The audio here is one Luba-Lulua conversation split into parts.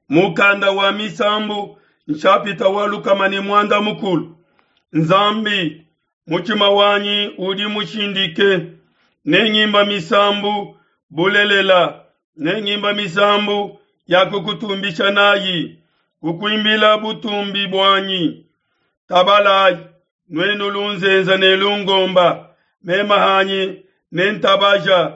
Mukanda wa Misambu nshapita wa 140. Nzambi, mutshima wanyi udi mushindike, nengimba misambu bulelela, nengimba misambu ya kukutumbisha nayi, kukuimbila butumbi buanyi. Tabalayi, nuenu lunzenze ne lungomba, mema hanyi nentabaja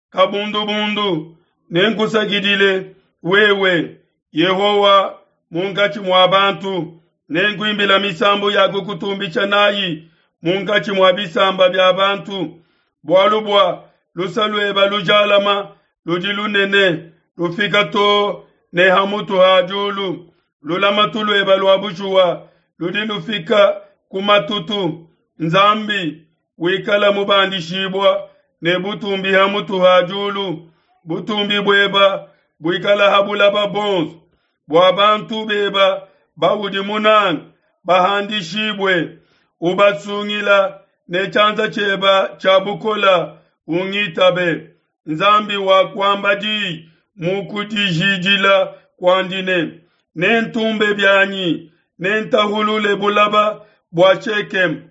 kabundubundu, nenkusakidile wewe, Yehowa, munkatshi mua bantu, nenkuimbila misambu ya kukutumbisha nayi munkatshi mua bisamba bia bantu, bualu bua luse lueba lujalama ludi lunene, lufika too ne ha mutu ha diulu, lulamatu lueba lua bushuwa ludi lufika ku matutu. Nzambi, wikala mubandishibua ne butumbi ha mutu ha diulu, butumbi bueba buikala ha bulaba bonso, bua bantu beba baudi munanga bahandishibue, ubasungila ne tshianza tshieba tshia bukola, ungitabe. Nzambi wakuamba diyi mu kudijidila kuandi ne, Nentumbe bianyi, nentahulule bulaba bua Shekeme,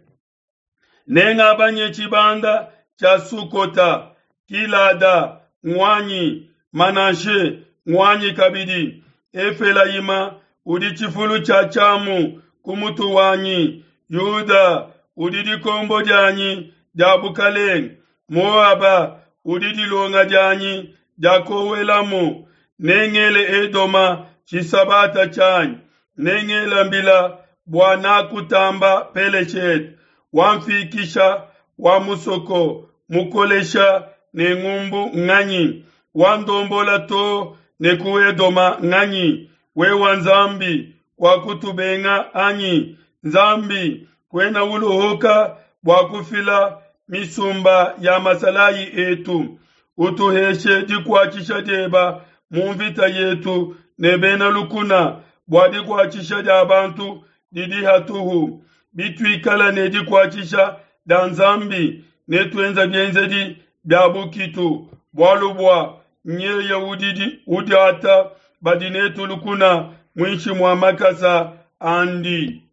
nengabanye tshibanda tshia Sukota, Gilada nguanyi, Manashe nguanyi kabidi, Efelayima udi tshifulu tshia tshiamu ku mutu wanyi, Yuda udi dikombo dianyi dia bukalenge, Moaba udi dilonga dianyi dia kowelamu, nengele Edoma tshisabata tshianyi, nengela mbila bua nakutamba Peleshete, wamfikisha wa musoko mukolesha ne ngumbu nganyi, wandombola too ne ku Edoma nganyi? Wewa Nzambi kuakutubenga anyi? Nzambi kuena uluhuka bua kufila misumba ya masalayi etu, utuheshe dikuatshisha dieba mu mvita yetu ne bena lukuna, bua dikuatshisha dia bantu didi hatuhu. Bituikala ne dikuatshisha dia Nzambi, netuenza bienzedi bia bukitu, bualu bua nyeye udi udiata badi netu lukuna muinshi mua makasa andi.